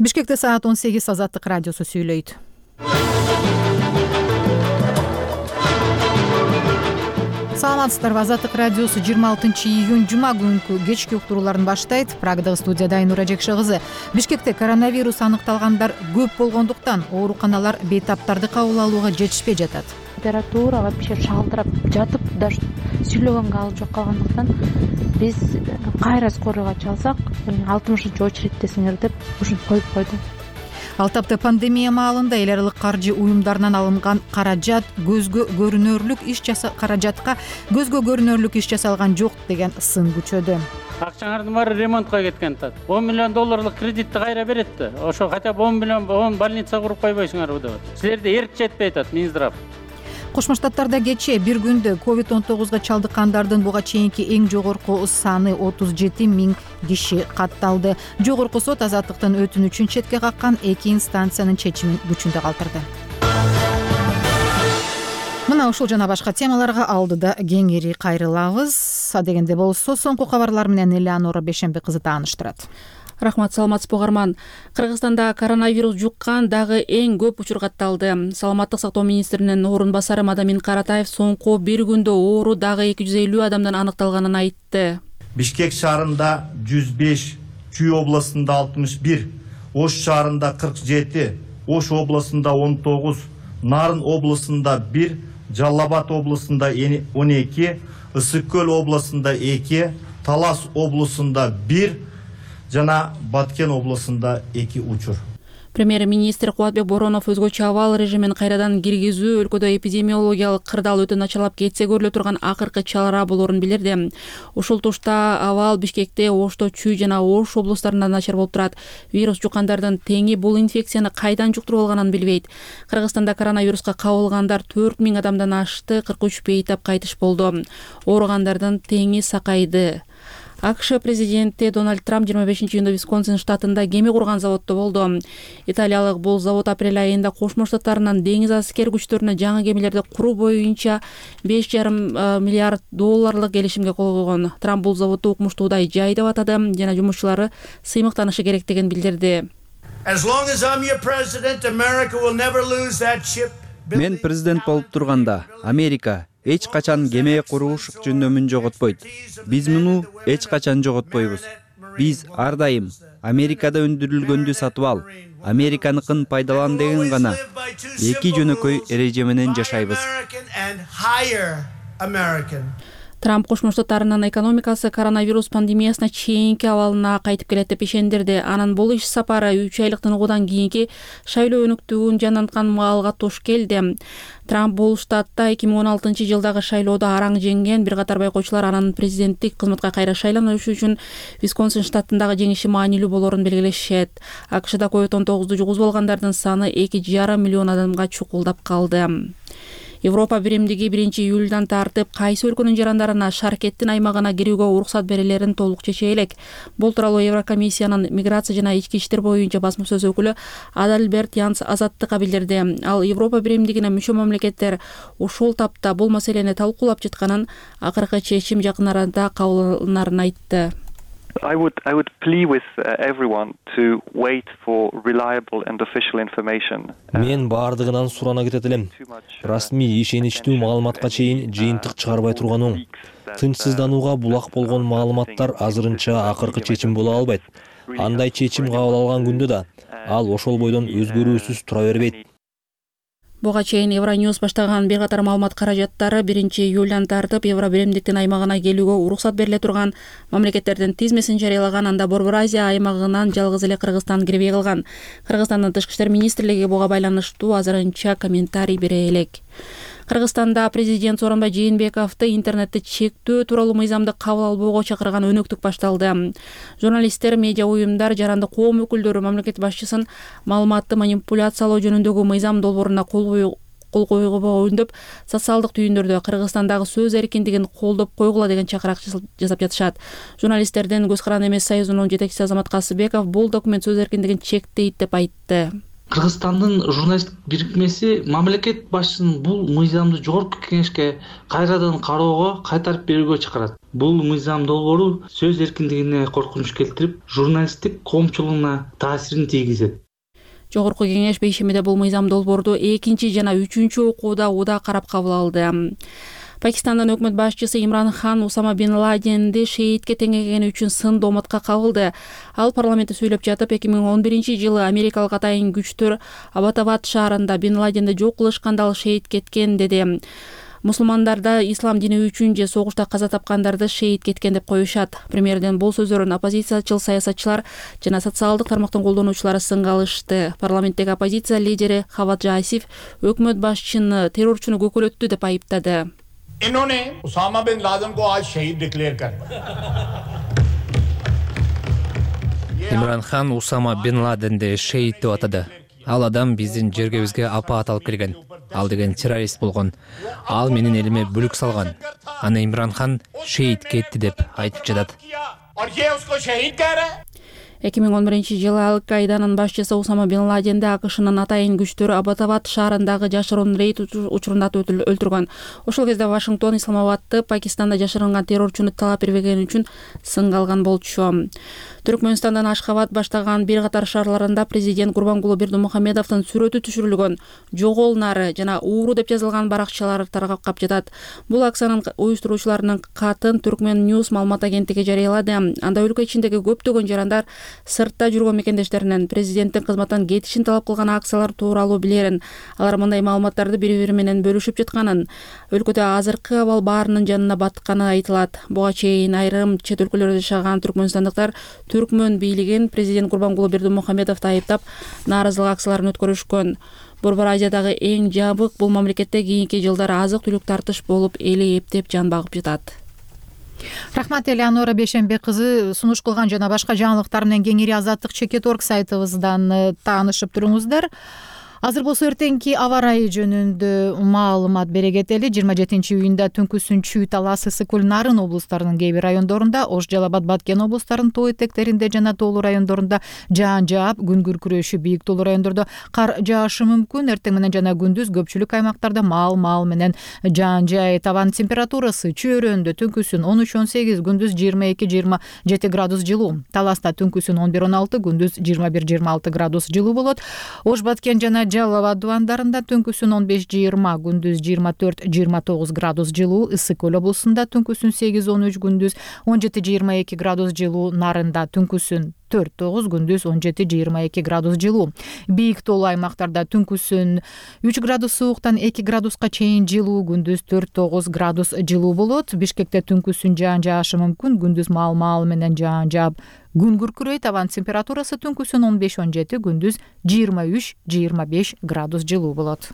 Бишкекте саат 18 Азаттык радиосу сүйлөйт. Саламатсыздарбы? Азаттык радиосу 26-июнь жума күнкү кечки уктурууларын баштайт. Прагдагы студияда Айнура Жекше кызы. Бишкекте коронавирус аныкталгандар көп болгондуктан ооруканалар бейтаптарды кабыл алууга жетишпей жатат. Температура вообще шалдырап жатып, даже сүйлөгөнгө ал жок калгандыктан биз кайра скорыйга чалсак 60-очередтесиңер деп ушинтип коюп койду. Ал тапты пандемия маалында эл аралык каржы уюмдарынан алынган каражатка көзгө көрүнөрлүк иш жасалган жок деген сын күчөдү. Акчаңардын баары ремонтко кеткен атат. 10 миллион долларлык кредитти кайра берет да. Ошо хотя бы 10 миллион 10 больница куруп койбойсуңарбы деп. Силерде эрк жетпей атат, Минздрав. Кошмо Штаттарда кечээ бир күндө COVID-19 чалдыккандардын буга чейинки эң жогорку саны 37 000 киши катталды. Жогорку сот азаттыктын өтүнүчүн четке каккан 2 инстанциянын чечимин күчүндө калтырды. Мына ушул жана башка темаларга алдыда кеңири кайрылабыз. Адегенде болсо соңку кабарлар менен Элеонора Бешембек кызы тааныштырат. Рахмат, саламатсызбы угарман. Кыргызстанда коронавирус жуккан дагы эң көп учур катталды. Саламаттык сактоо министринин орун басары Мадамин Каратаев соңку бир күндө оору дагы 250 адамдан аныкталганын айтты. Бишкек шаарында 105, Чүй областында 61, Ош шаарында 47, Ош областында 19, Нарын областында 1, Жалал Абад областында 12, Ысык Көл областында 2, Талас областында 1 жана Баткен областында 2 учур. Премьер-министр Кубатбек Боронов өзгөчө абал режимин кайрадан киргизүү өлкөдө эпидемиологиялык кырдаал өтө начарлап кетсе көрүлө турган акыркы чара болоорун билдирди. Ушул тушта абал Бишкекте, Ошто, Чүй жана Ош облустарында начар болуп турат. Вирус жуккандардын теңи бул инфекцияны кайдан жуктуруп алганын билбейт. Кыргызстанда коронавируска кабылгандар 4000 адамдан ашты, 43 бейтап кайтыш болду. Ооругандардын теңи сакайды. АКШ президенти Дональд Трамп 25-июнда Висконсин штатында кеме курган заводдо болду. Италиялык бул завод апрель айында Кошмо Штаттарынан деңиз аскер күчтөрүнө жаңы кемелерди куруу боюнча $5,5 миллиард келишимге кол койгон. Трамп бул заводду укмуштуудай жай деп атады жана жумушчулары сыймыктанышы керек деген билдирди. Мен президент болуп турганда Америка эч качан кеме курууш жөндөмүн жоготпойт. Биз муну эч качан жоготпойбуз. Биз ар дайым Америкада өндүрүлгөндү сатып ал, Американыкын пайдалан деген гана эки жөнөкөй эреже менен жашайбыз. Трамп Кошмо Штаттарынын экономикасы коронавирус пандемиясына чейинки абалына кайтып келет деп ишендирди. Анын бул иш сапары 3 айлык тыныгуудан кийинки шайлоо өнүктүүгүн жанданткан маалга туш келди. Трамп бул штатта 2016 жылдагы шайлоодо араң жеңген. Бир катар байкоочулар анын президенттик кызматка кайра шайланышы үчүн Висконсин штатындагы жеңиши маанилүү болоорун белгилешет. АКШда COVID-19 жугузуп алгандардын саны 2,5 миллион адамга чукулдап калды. Европа биримдиги 1-июлдан тартып кайсы өлкөнүн жарандарына шаркеттин аймагына кирүүгө уруксат берилерин толук чече элек. Бул тууралуу Еврокомиссиянын миграция жана ички иштер боюнча басма сөз өкүлү Адальберт Янс Азаттыкка билдирди. Ал Европа биримдигине мүчө мамлекеттер ушул тапта бул маселени талкуулап жатканын, акыркы чечим жакын арада кабыл алынарын айтты. I would plea with everyone to wait for reliable and official information. Мен бардыгынан сурана кетет элем. Расмий ишеничтүү маалыматка чейин жыйынтык чыгарбай турган оң. Тынчсызданууга булак болгон маалыматтар азырынча акыркы чечим боло албайт. Андай чечим кабыл алган күндө да ал ошол бойдон өзгөрүүсүз тура бербейт. Буга чейин Евроньюз баштаган бир катар маалымат каражаттары 1-июлдан тартып Евро биримдиктин аймагына келүүгө уруксат бериле турган мамлекеттердин тизмесин жарыялаган. Анда Борбор Азия аймагынан жалгыз эле Кыргызстан кирбей калган. Кыргызстандын Тышкы иштер министрлиги буга байланыштуу азырынча комментарий бере элек. Кыргызстанда президент Сооронбай Жээнбековду интернетти чектөө тууралуу мыйзамды кабыл албоого чакырган өнөктүк башталды. Журналисттер, медиа уюмдар, жарандык коом өкүлдөрү мамлекет башчысын маалыматты манипуляциялоо жөнүндөгү мыйзам долбооруна кол койгуга үндөп, социалдык түйүндөрдө Кыргызстандагы сөз эркиндигин колдоп койгула деген чакырак жасап жатышат. Журналисттердин көз каранды эмес союзунун жетекчиси Азамат Касыбеков бул документ сөз эркиндигин чектейт деп айтты. Кыргызстандын журналисттик бирикмеси мамлекет башчысынын бул мыйзамды жогорку кеңешке кайрадан кароого, кайтарып берүүгө чакырат. Бул мыйзам долбоору сөз эркиндигине коркунуч келтирип, журналисттик коомчулугуна таасирин тийгизет. Жогорку кеңеш бейшемиде бул мыйзам долбоорду 2 жана 3 окууда ууда карап кабыл алды. Пакистандын өкмөт башчысы Имран Хан Усама бин Ладенди шейтке теңегени үчүн сын домотко кабылды. Ал парламентте сүйлөп жатып, 2011-жылы америкалык атайын күчтөр Абатабад шаарында бин Ладенди жок кылышканда ал шейит кеткен деди. Мусулмандарда ислам дини үчүн же согушта каза тапкандарды шейит кеткен деп коюшат. Премьердин бул сөздөрүн оппозициячыл саясатчылар жана социалдык тармактын колдонуучулары сынга алышты. Парламенттеги оппозиция лидери Хаваджа Асиф өкмөт башчыны террорчуну көкөлөттү деп айыптады. इन्होंने Usama bin Laden को आज शहीद डिक्लेयर कर Имран Хан Усама бин Ладенди шейит деп атады. Ал адам биздин жергебизге апаат алып келген. Ал деген террорист болгон. Ал менин элиме бүлүк салган. Аны Имран Хан шейит кетти деп айтып жатат. 2011-жылы Ал-Каиданын башчысы Усама бин Ладенди АКШнын атайын күчтөрү Абатабад шаарындагы жашыруун рейд учурунда өлтүргөн. Ошол кезде Вашингтон Исламабадты Пакистанда жашырынган террорчуну талап бербегени үчүн сынга алган болчу. Түркмөнстандын Ашхабад баштаган бир катар шаарларында президент Гурбангулы Бердимухамедовдун сүрөтү түшүрүлгөн жогол нары жана ууру деп жазылган баракчалар таркап жатат. Бул акциянын уюштуруучуларынын катын Түркмен News маалымат агенттиги жарыялады. Анда өлкө ичиндеги көптөгөн жарандар сыртта жүргөн мекендештеринен президенттин кызматтан кетишин талап кылган акциялар тууралуу билерин. Алар мындай маалыматтарды бири-бири менен бөлүшүп жатканын, өлкөдө азыркы абал баарынын жанына батканы айтылат. Буга чейин айрым чет өлкөлөрдө жашаган түркмөнстандыктар Түркмөн бийлигин президент Гурбангулы Бердимухамедовду айыптап, нааразылык акцияларын өткөрүшкөн. Борбор Азиядагы эң жабык бул мамлекетте кийинки жылдары азык-түлүк тартыш болуп, эли эптеп жан багып жатат. Рахмат Элеонора Бейшембек кызы, сунуш кылган жана башка жаңылыктар менен кеңири Азаттык Чекет.org сайтыбыздан таанышып туруңуздар. Азыр болсо эртеңки аба ырайы жөнүндө маалымат бере кетели. 27-июнда түнкүсүн Чүй, Талас, Ысык Көл, Нарын облустарынын кээ бир райондорунда, Ош, Жалал Абад, Баткен облустарынын тоо этектеринде жана тоолуу райондорунда жаан жаап, күн күркүрөшү, бийик тоолуу райондордо кар жаашы мүмкүн. Эртең менен жана күндүз көпчүлүк аймактарда маал менен жаан жаай. Табан температурасы Чүй-өрөөндө түнкүсүн 13-18, күндүз 22-27 градус жылуу. Таласта түнкүсүн 11-16, күндүз 21-26 градус жылуу болот. Ош, Баткен жана Жалал Абад дубандарында түнкүсүн 15-20, күндүз 24-29 градус жылуу. Ысык Көл облусунда түнкүсүн 8-13, күндүз 17-22 градус жылуу. Нарында түнкүсүн 4-9, күндүз 17-22 градус жылуу. Бийик тоолуу аймактарда түнкүсүн 3 градус сууктан 2 градуска чейин жылуу, күндүз 4-9 градус жылуу болот. Бишкекте түнкүсүн жаан жаашы мүмкүн, күндүз маал менен жаан жаап, күн күркүрөйт. Табан температурасы түнкүсүн 15-17, күндүз 23-25 градус жылуу болот.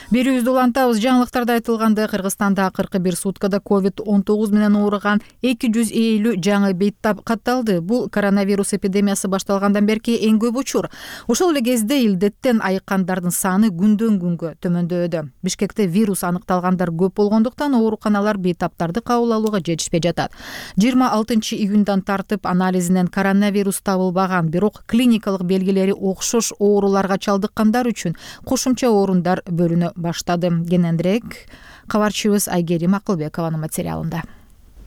Берүүбүздү улантабыз. Жаңылыктарда айтылгандай, Кыргызстанда 41 суткада COVID-19 менен ооруган 250 жаңы бейт катталды. Бул коронавирус эпидемиясы башталгандан берки эң көп учур. Ошол эле кезде илдеттен айыккандардын саны күндөн күнгө төмөндөдү. Бишкекте вирус аныкталгандар көп болгондуктан ооруканалар бейтаптарды кабыл алууга жетишпей жатат. 26-июндан тартып анализинен коронавирус табылбаган, бирок клиникалык белгилери окшош ооруларга чалдыккандар үчүн кошумча орундар бөлүнө баштады. Кененирээк кабарчыбыз Айгерим Акылбекованын материалында.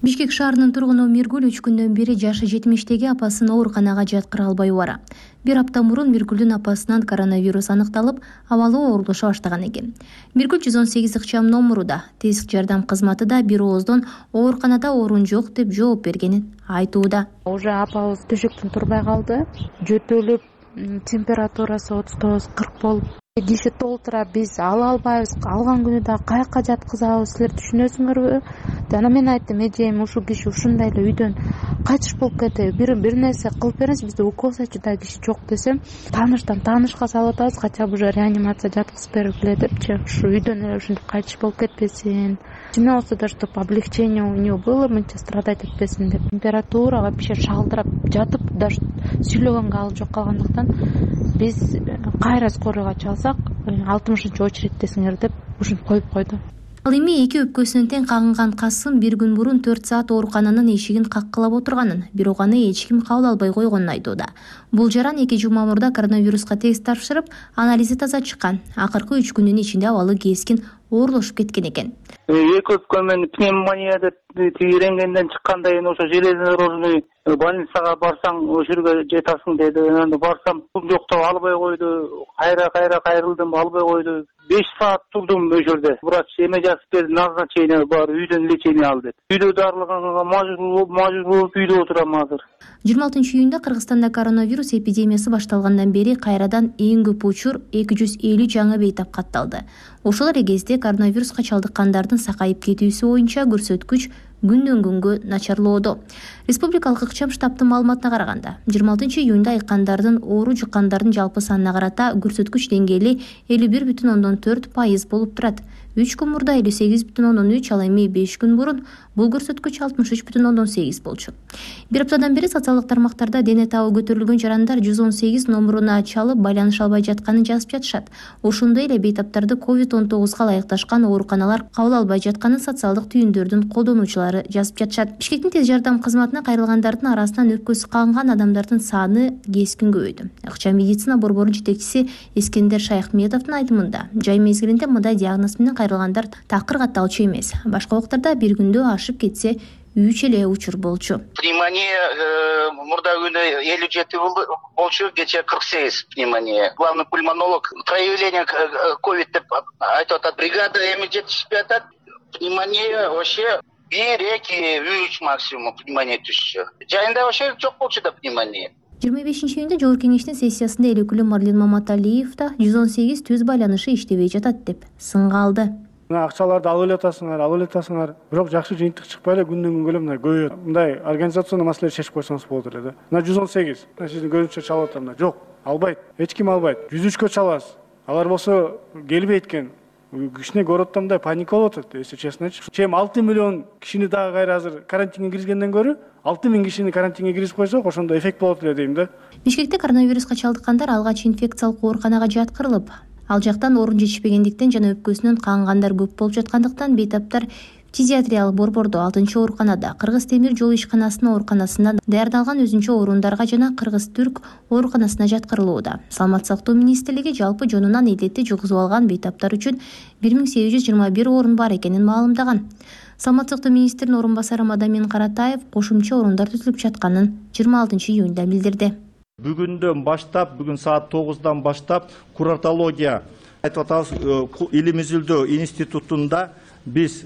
Бишкек шаарынын тургуну Миргүл 3 күндөн бери жашы 70-теги апасын ооруканага жаткыра албай бара. Бир апта мурун Миргүлдүн апасынан коронавирус аныкталып, абалы оорулуша баштаган экен. Миргүл 118 ыкчам номуруда тесик жардам кызматы да бир ооздон ооруканада орун жок деп жооп бергенин айтууда. Уже апабыз төшөктөн турбай калды. Жөтөлүп, температурасы 39-40 болуп, киши толтура биз ала албайбыз. Алган күнү да каяка жаткызабыз, силер түшүнөсүңөрбү? Жана мен айттым, эжем, ушул киши ушундай эле үйдөн кайтыш болуп кетеби, бир нерсе кылып бериңиз, бизде уколсачы да киши жок десем, таныштан таанышка салып атабыз, хотя бы уже реанимация жаткызып бергиле депчи, ушу үйдөн эле ушинтип кайтыш болуп кетпесин. Чим болсо да, чтобы облегчение у него было, мынча страдать этпесин деп. Температура вообще шалдырап жатып, даже сүйлөгөнгө алып жок калгандыктан биз кайра скорыйга чалсак, 60-очередтесиңер деп ушинтип коюп койду. Ал эми эки өпкөсүнөн тең кагынган Касым бир күн мурун 4 саат оорукананын эшигин каккылап отурганын, бирок аны эч ким кабыл албай койгонун айтууда. Бул жаран 2 жума мурда коронавируска тест тапшырып, анализи таза чыккан. Акыркы 3 күндүн ичинде абалы кескин оорлошуп кеткен экен. Эки өпкөмөн пневмония деп рентгенден чыкканда эми ошо железнодорожный больницага барсаң ошол жерге жетасың деди. Анан барсам жоктоп албай койду. Кайрылдым, албай койду. 5 саат турдум ошол жерде. Врач эме жазып берди, назначение бар, үйдөн лечение ал деп. Үйдө дарылганга мажбур болуп үйдө отурам азыр. 26 июнда Кыргызстанда коронавирус эпидемиясы башталгандан бери кайрадан эң көп учур 250 жаңы бейтап катталды. Ошол эле кезде коронавируска чалдыккандардын сакайып кетүүсү боюнча көрсөткүч күндөн күнгө начарлоодо. Республикалык ыкчам штабтын маалыматына караганда, 26 июнда айыккандардын оору жуккандардын жалпы санына карата көрсөткүч деңгээли 51,4% болуп турат. 3 күн мурда 58,3, ал эми 5 күн мурун бул көрсөткүч 63,8 болчу. Бир аптадан бери социалдык тармактарда дене табы көтөрүлгөн жарандар 118 номуруна чалып байланыша албай жатканын жазып жатышат. Ошондой эле бейтаптарды COVID-19га ылайыкташкан ооруканалар кабыл албай жатканын социалдык түйүндөрдүн колдонуучулары жазып жатышат. Бишкектин тез жардам кызматына кайрылгандардын арасынан өпкөсү кагынган адамдардын саны кескин көбөйдү. Ыкчам медицина борборунун жетекчиси Эскендер Шайхметовдун айтымында, жай мезгилинде мындай диагноз менен кайрылгандар такыр катталчу эмес. Башка убактарда бир күндө ашып кетсе 3 эле учур болчу. Пневмония мурда күнү 57 болчу, кече 48 пневмония. Главный пульмонолог проявление ковид деп айтып атат. Бригада эми жетишпей атат. Пневмония вообще 1-2-3 максимум пневмония түшчү. Жайында вообще жок болчу да пневмония. 25 июнда Жогорку кеңештин сессиясында эл өкүлү Марлен Маматалиев да 118 түз байланышы иштебей жатат деп сынга алды. Акчаларды алып элетасыңар, бирок жакшы жыйынтык чыкпай эле күндөн күнгө эле мындай көбөйөт. Мындай организационный маселе чечип койсоңуз болот эле да. Мына 118, сиздин көзүңүзчө чалып атам да. Жок, албайт. Эч ким албайт. 103кө чалабыз. Алар болсо келбейт экен. Кичине городдо мындай паника болуп атат, если честно айтчы. Чем 6 миллион кишини дагы кайра азыр карантинге киргизгенден көрө 6 миң кишини карантинге киргизип койсок, ошондо эффект болот эле дейм да. Бишкекте коронавируска чалдыккандар алгач инфекциялык ооруканага жаткырылып, ал жактан орун жетишпегендиктен жана өпкөсүнөн кагынгандар көп болуп жаткандыктан бейтаптар фтизиатриялык борбордо 6-ооруканада, Кыргыз темир жол ишканасынын ооруканасында даярдалган өзүнчө орундарга жана Кыргыз-Түрк ооруканасына жаткырылууда. Саламаттык сактоо министрлиги жалпы жонунан илетти жугузуп алган бейтаптар үчүн 1821 орун бар экенин маалымдаган. Саламаттык сактоо министринин орун басары Мадамин Каратаев кошумча орундар түзүлүп жатканын 26 июнда билдирди. Бүгүндөн баштап, бүгүн саат 9-дан баштап куратология айтып атабыз Илимизилдөө институтунда биз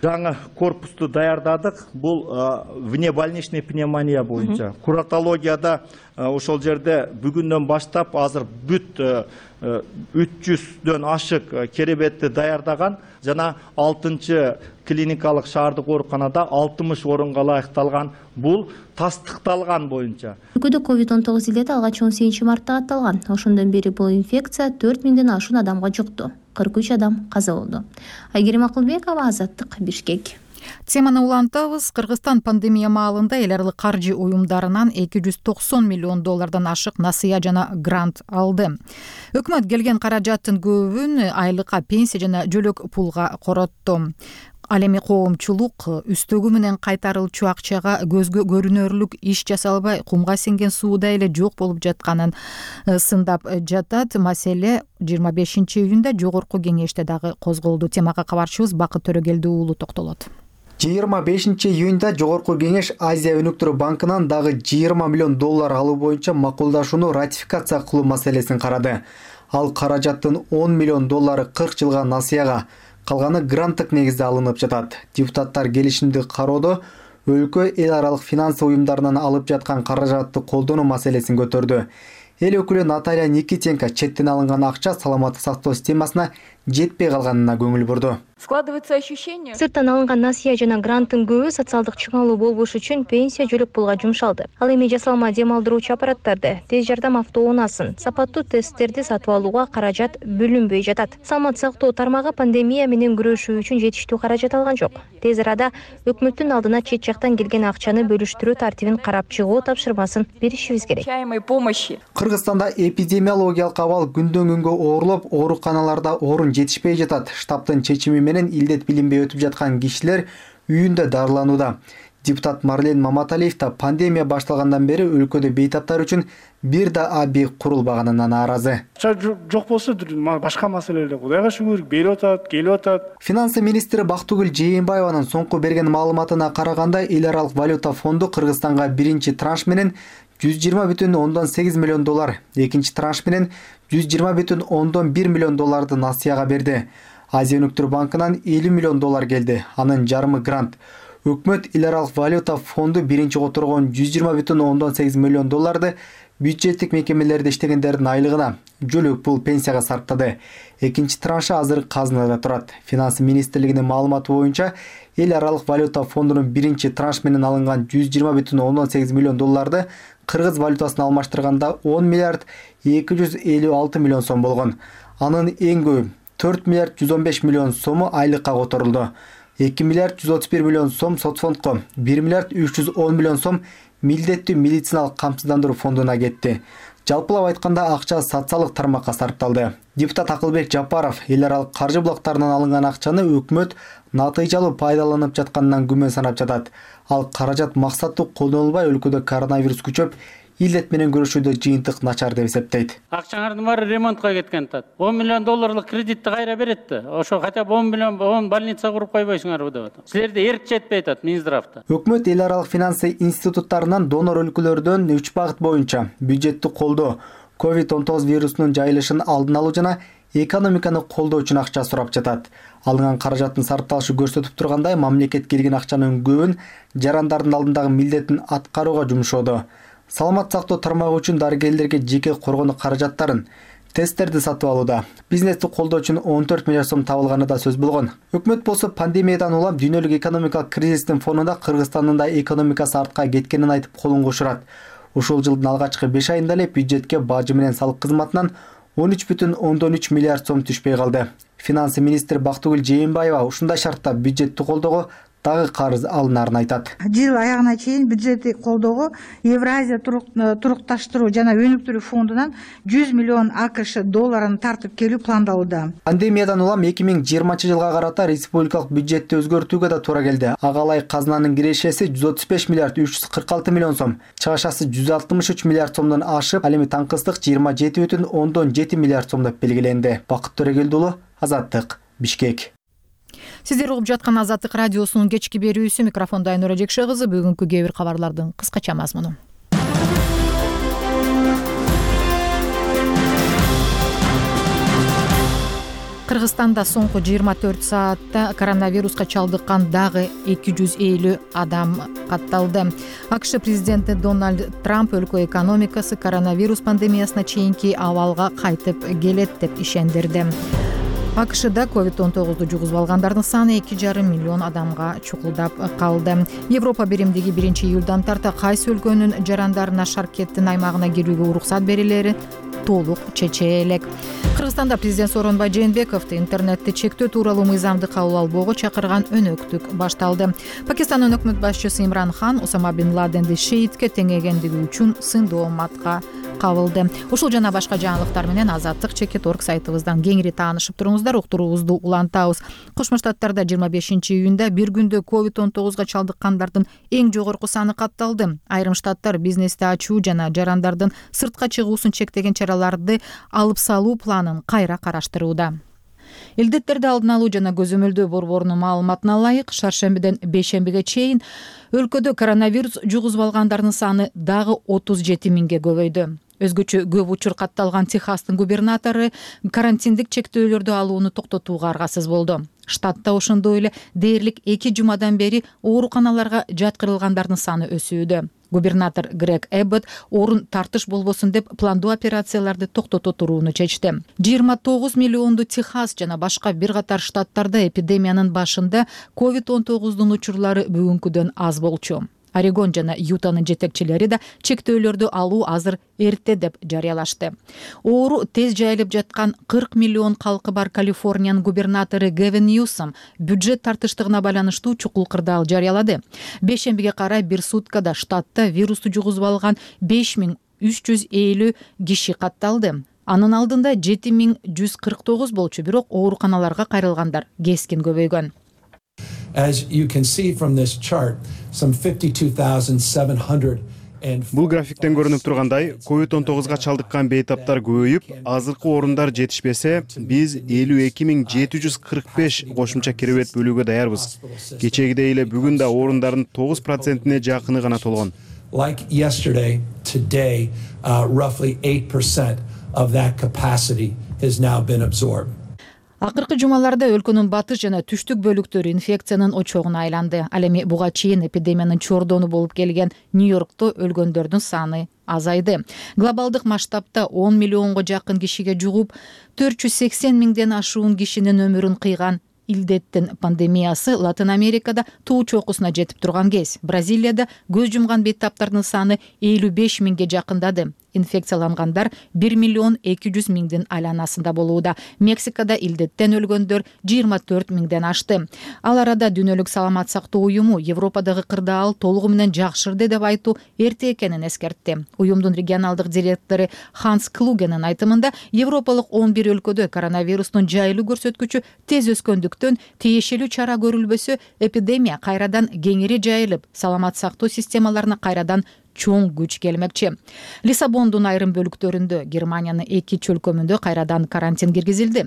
жаңы корпусту даярдадык. Бул внебольничный пневмония боюнча. Куратологияда ошол жерде бүгүндөн баштап азыр бүт 300дөн ашык керебетти даярдаган жана 6-чы клиникалык шаардык ооруканада 60 орунга ылайыкталган. Бул тастыкталган боюнча. Өлкөдө COVID-19 илети алгач 18 мартта атталган. Ошондон бери бул инфекция 4000ден ашуун адамга жукту. 43 адам каза болду. Айгерим Акылбекова, Азаттык, Бишкек. Теманы улантабыз. Кыргызстан пандемия маалында эл аралык каржы уюмдарынан $290 миллион ашык насыя жана грант алды. Өкмөт келген каражаттын көбүн айлыкка, пенсия жана жөлөк пулга коротту. Ал эми коомчулук үстөгү менен кайтарылчу акчага көзгө көрүнөрлүк иш жасалбай, кумга сиңген сууда эле жок болуп жатканын сындап жатат. Маселе 25 июнда Жогорку кеңеште дагы козголду. Темага кабарчыбыз Бакыт Төрөгелди уулу токтолот. 25 июнда Жогорку кеңеш Азия өнүктүрүү банкынан дагы $20 миллион алуу боюнча макулдашууну ратификация кылуу маселесин карады. Ал каражаттын $10 миллион 40 жылга насыяга, калганы гранттык негизде алынып жатат. Депутаттар келишимди кароодо өлкө эл аралык финансы уюмдарынан алып жаткан каражатты колдонуу маселесин көтөрдү. Эл өкүлү Наталья Никитенко четтен алынган акча саламаттык сактоо системасына жетпей калганына көңүл бурду. Складывается ощущение. Сырттан алынган насыя жана гранттын көбү социалдык чыңалуу болбош үчүн пенсия жөлөк пулга жумшалды. Ал эми жасалма дем алдыруучу аппараттарды, тез жардам автоунаасын, сапаттуу тесттерди сатып алууга каражат бөлүнбөй жатат. Саламаттык сактоо тармагы пандемия менен күрөшүү үчүн жетиштүү каражат алган жок. Тез арада өкмөттүн алдына чет жактан келген акчаны бөлүштүрүү тартибин карап чыгуу тапшырмасын беришибиз керек. Кыргызстанда эпидемиологиялык абал күндөн күнгө оорлоп, ооруканаларда орун жетишпей жатат. Штабтын чечими менен илдет билинбей өтүп жаткан кишилер үйүндө дарыланууда. Депутат Марлен Маматалиев да пандемия башталгандан бери өлкөдө бейтаптар үчүн бир да объект курулбаганына нааразы. Жок болсо башка маселелер Кудайга шүгүр берип атат, келип атат. Финансы министри Бактыгүл Жээнбаеванын соңку берген маалыматына караганда, эл аралык валюта фонду Кыргызстанга биринчи транш менен 120,8 миллион доллар, экинчи транш менен 120,1 миллион долларды насыяга берди. Азия өнүктүрүү банкынан 50 миллион доллар келди. Анын жарымы грант. Өкмөт эл аралык валюта фонду биринчи которгон 120,8 миллион долларды бюджеттик мекемелерде иштегендердин айлыгына, жөлөк пул, пенсияга сарптады. Экинчи траншы азыр казынада турат. Финансы министрлигинин маалыматы боюнча, эл аралык валюта фондунун биринчи транш менен алынган 120,8 миллион долларды кыргыз валютасына алмаштырганда 10 миллиард 256 миллион сом болгон. Анын эң көбү 4 миллиард 115 миллион сому айлыкка которулду. 2 миллиард 131 миллион сом соцфондко, 1 миллиард 310 миллион сом милдеттүү медициналык камсыздандыруу фондуна кетти. Жалпылап айтканда акча социалдык тармакка сарпталды. Депутат Акылбек Жапаров эл аралык каржы булактарынан алынган акчаны өкмөт натыйжалуу пайдаланып жатканынан күмөн санап жатат. Ал каражат максаттуу колдонулбай өлкөдө коронавирус күчөп, илдет менен күрөшүүдө жыйынтык начар деп эсептейт. Акчаңардын баары ремонтко кеткен атат. 10 миллион долларлык кредитти кайра берет да. Ошо хотя бы 10 больница куруп койбойсуңарбы деп атат. Силерде эрк жетпей атат Минздравда. Өкмөт эл аралык финансы институттарынан донор өлкөлөрдөн 3 багыт боюнча бюджеттик колдоо, COVID-19 вирусунун жайылышын алдын алуу жана экономиканы колдоо үчүн акча сурап жатат. Алынган каражаттын сарпталышы көрсөтүп тургандай, мамлекет келген акчанын көбүн жарандардын алдындагы милдетин аткарууга жумшоодо. Саламат сактоо тармагы үчүн дарыгерлерге жеке коргонуу каражаттарын, тесттерди сатып алууда. Бизнести колдоо үчүн 14 миллиард сом табылганы да сөз болгон. Өкмөт болсо пандемиядан улам дүйнөлүк экономикалык кризистин фонунда Кыргызстандын да экономикасы артка кеткенин айтып колун кошурат. Ушул жылдын алгачкы 5 айында эле бюджетке бажы менен салык кызматынан 13,3 миллиард сом түшпөй калды. Финансы министри Бактыгүл Жээнбаева ушундай шартта бюджетти колдоого дагы карыз алынарын айтат. Жыл аягына чейин бюджеттик колдоого Евразия турукташтыруу жана өнүктүрүү фондунан 100 миллион АКШ долларын тартып келүү пландалууда. Пандемиядан улам 2020-жылга карата республикалык бюджетти өзгөртүүгө да туура келди. Агалай казынанын кирешеси 135 миллиард 346 миллион сом, чыгашасы 163 миллиард сомдон ашып, ал эми таңкыстык 27,7 миллиард сом деп белгиленди. Бакыт Төрөгелди уулу, Азаттык, Бишкек. Сиздер угуп жаткан Азаттык радиосунун кечки берүүсү. Микрофондо Айнура Жекше кызы. Бүгүнкү кээ бир кабарлардын кыскача мазмуну. Кыргызстанда соңку 24 саатта коронавируска чалдыккан дагы 250 адам катталды. АКШ президенти Дональд Трамп өлкө экономикасы коронавирус пандемиясына чейинки абалга кайтып келет деп ишендирди. АКШда COVID-19 жугузуп алгандардын саны 2,5 миллион адамга чукулдап калды. Европа биримдиги 1-июлдан тарта кайсы өлкөнүн жарандарына шаркеттин аймагына кирүүгө уруксат берилери толук чече элек. Кыргызстанда президент Сооронбай Жээнбековду интернетти чектөө тууралуу мыйзамды кабыл албоого чакырган өнөктүк башталды. Пакистандын өкмөт башчысы Имран Хан Осама бин Ладенди шеитке теңегендиги үчүн сындоо матка кабылды. Ушул жана башка жаңылыктар менен Азаттык.org сайтыбыздан кеңири таанышып туруңуздар. Уктуруубузду улантабыз. Кошмо Штаттарда 25-июнда бир күндө COVID-19 чалдыккандардын эң жогорку саны катталды. Айрым штаттар бизнести ачуу жана жарандардын сыртка чыгуусун чектеген чараларды алып салуу планын кайра караштырууда. Илдеттерди алдын алуу жана көзөмөлдөө борборунун маалыматына ылайык, шаршембиден бейшембиге чейин өлкөдө коронавирус жугузуп алгандардын саны дагы 37 миңге көбөйдү. Өзгөчө көп учур катталган Техастын губернатору карантиндик чектөөлөрдү алууну токтотууга аргасыз болду. Штатта ошондой эле дээрлик 2 жумадан бери ооруканаларга жаткырылгандардын саны өсүүдө. Губернатор Грег Эббот орун тартыш болбосун деп пландуу операцияларды токтото турууну чечти. 29 миллионду Техас жана башка бир катар штаттарда эпидемиянын башында COVID-19 учурлары бүгүнкүдөн аз болчу. Орегон жана Ютанын жетекчилери да чектөөлөрдү алуу азыр эрте деп жарыялашты. Оору тез жайылып жаткан 40 миллион калкы бар Калифорниянын губернатору Гевин Ньюсом бюджет тартыштыгына байланыштуу чукул кырдаал жарыялады. Бейшембиге карай бир суткада штатта вирусту жугузуп алган 5350 киши катталды. Анын алдында 7149 болчу, бирок ооруканаларга кайрылгандар кескин көбөйгөн. As you can see from this chart, some 52,700 Бул графиктен көрүнүп тургандай, COVID-19 чалдыккан бейтаптар көбөйүп, азыркы орундар жетишпесе, биз 52,745 кошумча керебет бөлүүгө даярбыз. Кечегидей эле бүгүн да орундардын 9%-не жакыны гана толгон. Like yesterday, today, roughly 8% of that capacity has now been absorbed. Акыркы жумаларда өлкөнүн батыш жана түштүк бөлүктөрү инфекциянын очогуна айланды. Ал эми буга чейин эпидемиянын чордону болуп келген Нью-Йоркто өлгөндөрдүн саны азайды. Глобалдык масштабта 10 миллионго жакын кишиге жугуп, 480 миңден ашуун кишинин өмүрүн кыйган илдеттин пандемиясы Латын Америкада туу чокусуна жетип турган кез. Бразилияда көз жумган бейтаптардын саны 55 миңге жакындады. Инфекциялангандар 1 миллион 200 миңдин айланасында болууда. Мексикада илдеттен өлгөндөр 24 миңден ашты. Ал арада Дүйнөлүк саламат сактоо уюму Европадагы кырдаал толугу менен жакшырды деп айтуу эрте экенин эскертти. Уюмдун регионалдык директору Ханс Клугенин айтымында, Европалык 11 өлкөдө коронавирустун жайылуу көрсөткүчү тез өскөндүктөн тиешелүү чара көрүлбөсө, эпидемия кайрадан кеңири жайылып, саламат сактоо системаларына кайрадан чоң күч келмекчи. Лиссабондун айрым бөлүктөрүндө, Германиянын 2 чөлкөмүндө кайрадан карантин киргизилди.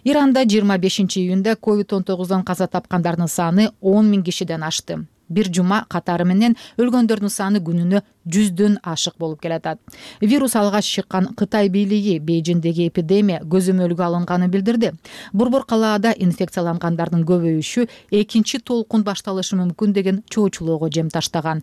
Иранда 25-июнда COVID-19 каза тапкандардын саны 10 миң кишиден ашты. Бир жума катары менен өлгөндөрдүн саны күнүнө 100дөн ашык болуп келатат. Вирус алгач чыккан Кытай бийлиги Бейжиңдеги эпидемия көзөмөлгө алынганын билдирди. Борбор калаада инфекциялангандардын көбөйүшү экинчи толкун башталышы мүмкүн деген чоочулоого жем таштаган.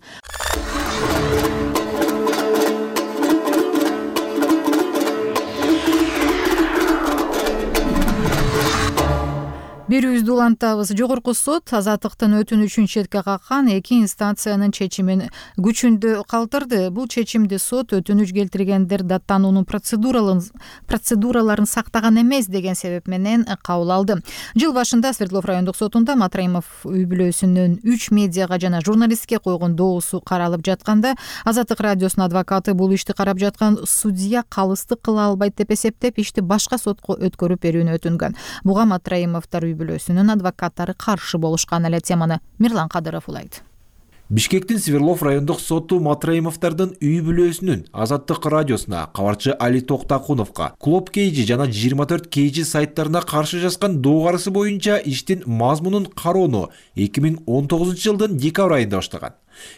Берүүбүздү улантабыз. Жогорку сот азаттыктын өтүнүчүн четке каккан 2 инстанциянын чечимин күчүндө калтырды. Бул чечимди сот өтүнүч келтиргендер даттануунун процедураларын сактаган эмес деген себеп менен кабыл алды. Жыл башында Свердлов райондук сотунда Матраимов үй бүлөсүнүн 3 медиага жана журналистке койгон доосу каралып жатканда, Азаттык радиосунун адвокаты бул ишти карап жаткан судья калыстык кыла албайт деп эсептеп, ишти башка сотко өткөрүп берүүнү өтүнгөн. Буга Матраимовдор үй бүлөсүнүн адвокаттары каршы болушкан. Эле теманы Мирлан Кадыров улайт. Бишкектин Свердлов райондук соту Матраимовдордун үй бүлөсүнүн Азаттык радиосуна, кабарчы Али Токтакуновго, Клуб Кейжи жана 24 Кейжи сайттарына каршы жазган доогарысы боюнча иштин мазмунун кароону 2019 жылдын декабрь айында баштаган.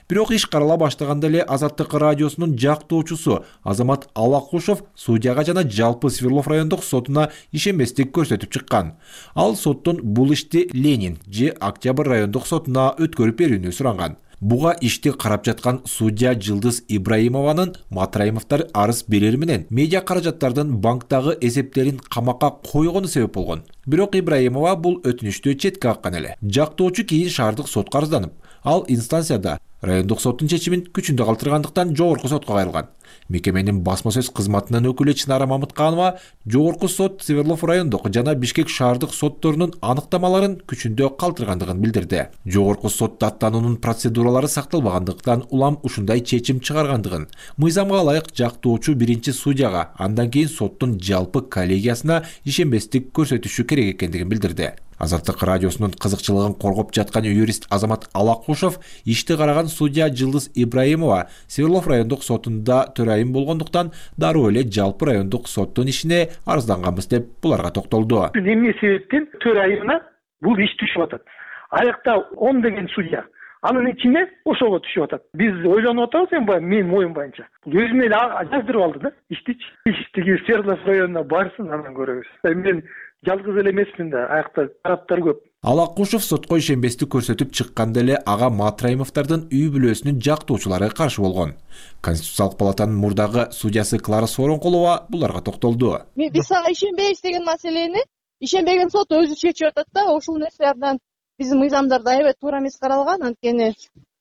Бирок иш карала баштаганда эле Азаттык радиосунун жактоочусу Азамат Алакушев судьяга жана жалпы Свердлов райондук сотуна ишенбестик көрсөтүп чыккан. Ал соттон бул ишти Ленин же Октябрь райондук сотуна өткөрүп берүүнү суранган. Буга ишти карап жаткан судья Жылдыз Ибраимованын Матраимовдор арыз берери менен медиа каражаттардын банктагы эсептерин камакка койгону себеп болгон. Бирок Ибраимова бул өтүнүштү четке каккан эле. Жактоочу кийин шаардык сотко арызданып, ал инстанцияда райондук соттун чечимин күчүндө калтыргандыктан жогорку сотко кайрылган. Мекеменин басма сөз кызматынын өкүлү Чынара Мамытканова жогорку сот Свердлов райондук жана Бишкек шаардык сотторунун аныктамаларын күчүндө калтыргандыгын билдирди. Жогорку сот даттануунун процедуралары сакталбагандыктан улам ушундай чечим чыгаргандыгын, мыйзамга ылайык жактоочу биринчи судьяга, андан кийин соттун жалпы коллегиясына ишенбестик көрсөтүшү керек экендигин билдирди. Азаттык радиосунун кызыкчылыгын коргоп жаткан юрист Азамат Алакушев ишти караган судья Жылдыз Ибраимова Свердлов райондук сотунда төрайым болгондуктан дароо эле жалпы райондук соттун ишине арызданганбыз деп буларга токтолду. Эмне себептен төрайымына бул иш түшүп атат? Аякта 10 деген судья, анын ичине ошого түшүп атат. Биз ойлонуп атабыз эми менин оюм боюнча. Бул өзүнө эле жаздырып алды да иштичи. Иштиги Свердлов районуна барсын, анан көрөбүз. Мен жалгыз эле эмесмин да, аякта тараптар көп. Алакушев сотко ишенбестик көрсөтүп чыкканда эле ага Матраимовдордун үй бүлөсүнүн жактоочулары каршы болгон. Конституциялык палатанын мурдагы судьясы Клара Сооронкулова буларга токтолду. Биз ага ишенбейбиз деген маселени ишенбеген сот өзү чечип атат да, ошол нерселерден биздин мыйзамдарда аябай туура эмес каралган. Анткени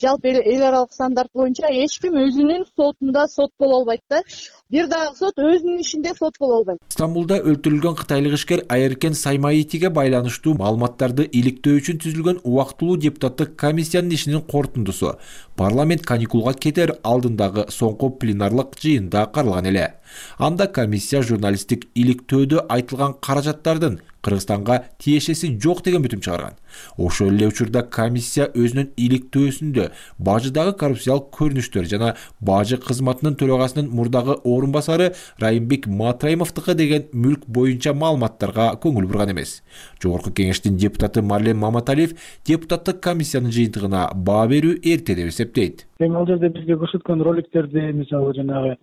жалпы эл аралык стандарт боюнча эч ким өзүнүн сотунда сот боло албайт да. бир дагы сот өзүнүн ишинде сот боло албайт. Стамбулда өлтүрүлгөн кытайлык ишкер Айеркен Саймаитиге байланыштуу маалыматтарды иликтөө үчүн түзүлгөн убактылуу депутаттык комиссиянын ишинин корутундусу парламент каникулга кетер алдындагы соңку пленарлык жыйында каралган эле. Анда комиссия журналисттик иликтөөдө айтылган каражаттардын Кыргызстанга тиешеси жок деген бүтүм чыгарган. Ошол эле учурда комиссия өзүнүн иликтөөсүндө бажыдагы коррупциялык көрүнүштөр жана бажы кызматынын төрагасынын мурдагы орун басары Райымбек Матраимовдуку деген мүлк боюнча маалыматтарга көңүл бурган эмес. Жогорку кеңештин депутаты Марлен Маматалиев депутаттык комиссиянын жыйынтыгына баа берүү эрте деп эсептейт. Ал жерде бизге көрсөткөн роликтерди мисалы жанагы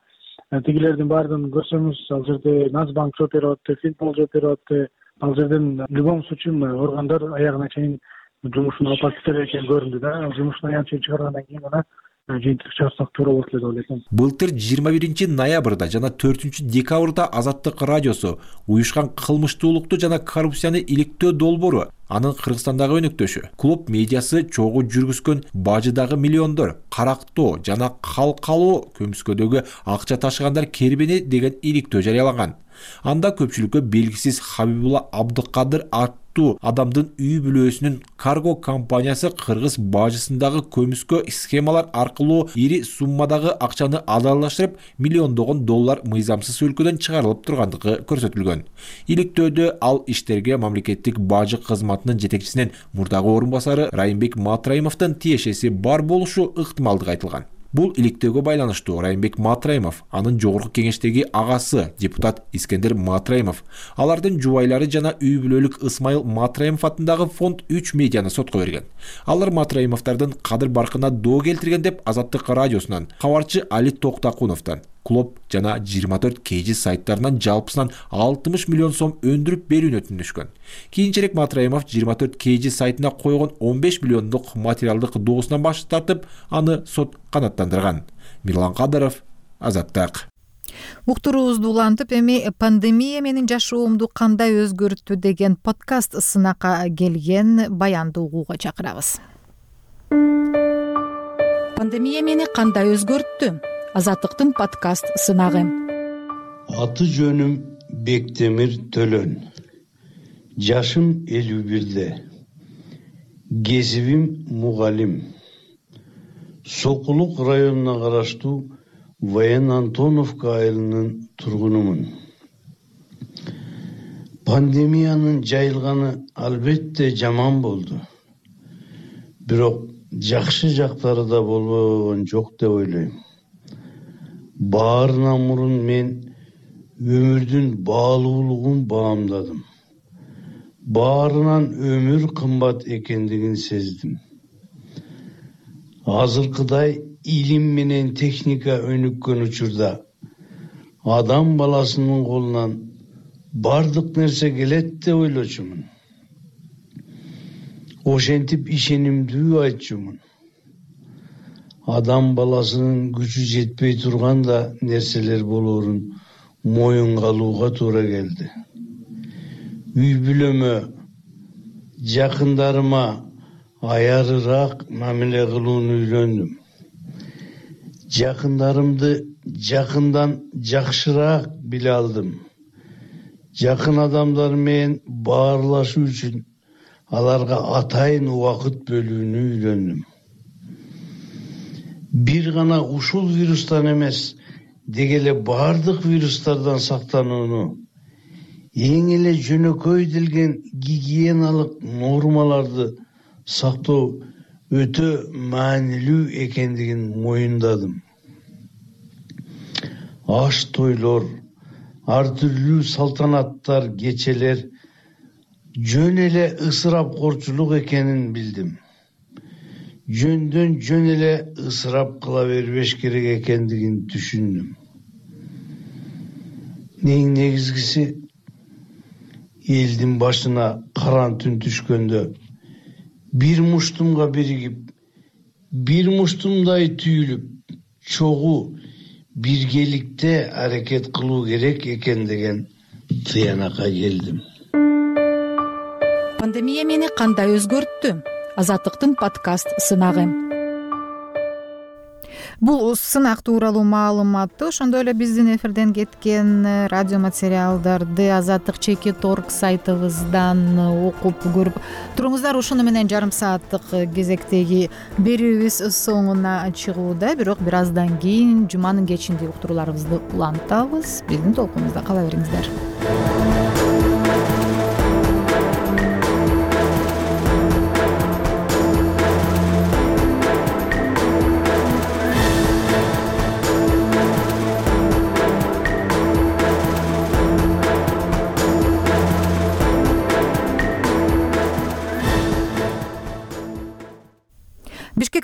тигилердин баардыгын көрсөңүз, ал жерде Нацбанк жооп берип атты, Финпол жооп берип атты. Ал жерден в любом случае органдар аягына чейин жумушун алып кетер экен көрүндү да. Жумуштун аягына чейин чыгаргандан кийин гана жыйынтык чыгарсак туура болот эле деп ойлойм. Былтыр 21 ноябрда жана 4 декабрда Азаттык радиосу уюшкан кылмыштуулукту жана коррупцияны иликтөө долбоору анын Кыргызстандагы өнөктөшү клуб медиасы чогуу жүргүзгөн бажыдагы миллиондор, карактоо жана калкалоо көмүскөдөгү акча ташыгандар кербени деген иликтөө жарыялаган. Анда көпчүлүккө белгисиз Хабибулла Абдыкадыр аттуу адамдын үй бүлөсүнүн карго компаниясы кыргыз бажысындагы көмүскө схемалар аркылуу ири суммадагы акчаны алалаштырып, миллиондогон доллар мыйзамсыз өлкөдөн чыгарылып тургандыгы көрсөтүлгөн. Иликтөөдө ал иштерге мамлекеттик бажы кызматынын жетекчисинин мурдагы орун басары Райымбек Матраимовдун тиешеси бар болушу ыктымалдыгы айтылган. Бул иликтөөгө байланыштуу Райымбек Матраимов, анын жогорку кеңештеги агасы депутат Искендер Матраимов, алардын жубайлары жана үй бүлөлүк Ысмайыл Матраимов атындагы фонд 3 медианы сотко берген. Алар Матраимовдордун кадыр баркына доо келтирген деп Азаттык радиосунан, кабарчы Али Токтакуновдон, Клоп жана 24 KG сайттарынан жалпысынан 60 миллион сом өндүрүп берүүнү өтүнүшкөн. Кийинчерээк Матраимов 24 KG сайтына койгон 15 миллиондук материалдык доосунан баш тартып, аны сот канааттандырган. Мирлан Кадыров, Азаттык. Уктуруубузду улантып, эми пандемия менин жашоомду кандай өзгөрттү деген подкаст сынакка келген баянды угууга чакырабыз. Пандемия мени кандай өзгөрттү? Азаттыктын подкаст сынагы. Аты жөнүм Бектемир Төлөн. Жашым 51-де. Кесибим мугалим. Сокулук районуна караштуу Воен Антоновка айылынын тургунумун. Пандемиянын жайылганы албетте жаман болду. Бирок жакшы жактары да болбогон жок деп ойлойм. Баарынан мурун мен өмүрдүн баалуулугун баамдадым. Баарынан өмүр кымбат экендигин сездим. Азыркыдай илим менен техника өнүккөн учурда адам баласынын колунан бардык нерсе келет деп ойлочумун. Ошентип ишенимдүү айтчумун. Адам баласынын күчү жетпей турганда нерселер болоорун моюнга алууга туура келди. Үй бүлөмө, жакындарыма аярыраак мамиле кылууну үйрөндүм. Жакындарымды жакындан жакшыраак биле алдым. Жакын адамдар менен баарлашуу үчүн аларга атайын убакыт бөлүүнү үйрөндүм. Бир гана ушул вирустан эмес, деги эле бардык вирустардан сактанууну, эң эле жөнөкөйдүлгөн гигиеналык нормаларды сактоо өтө маанилүү экендигин моюндадым. Аш тойлор, ар түрлүү салтанаттар, кечелер жөн эле ысырапкорчулук экенин билдим. Жөндөн жөн эле ысырап кыла бербеш керек экендигин түшүндүм. Эң негизгиси, элдин башына каран түн түшкөндө бир муштумга биригип, бир муштумдай түйүлүп, чогуу биргеликте аракет кылуу керек экен деген тыянакка келдим. Пандемия мени кандай өзгөрттү? Азаттыктын подкаст сынагы. Бул сынак тууралуу маалыматты ошондой эле биздин эфирден кеткен радио материалдарды Азаттык /Org сайтыбыздан окуп көрүп туруңуздар. Ушуну менен жарым сааттык кезектеги берүүбүз соңуна чыгууда. Бирок бир аздан кийин жуманын кечинди уктурууларыбызды улантабыз. Биздин толкунубузда кала бериңиздер.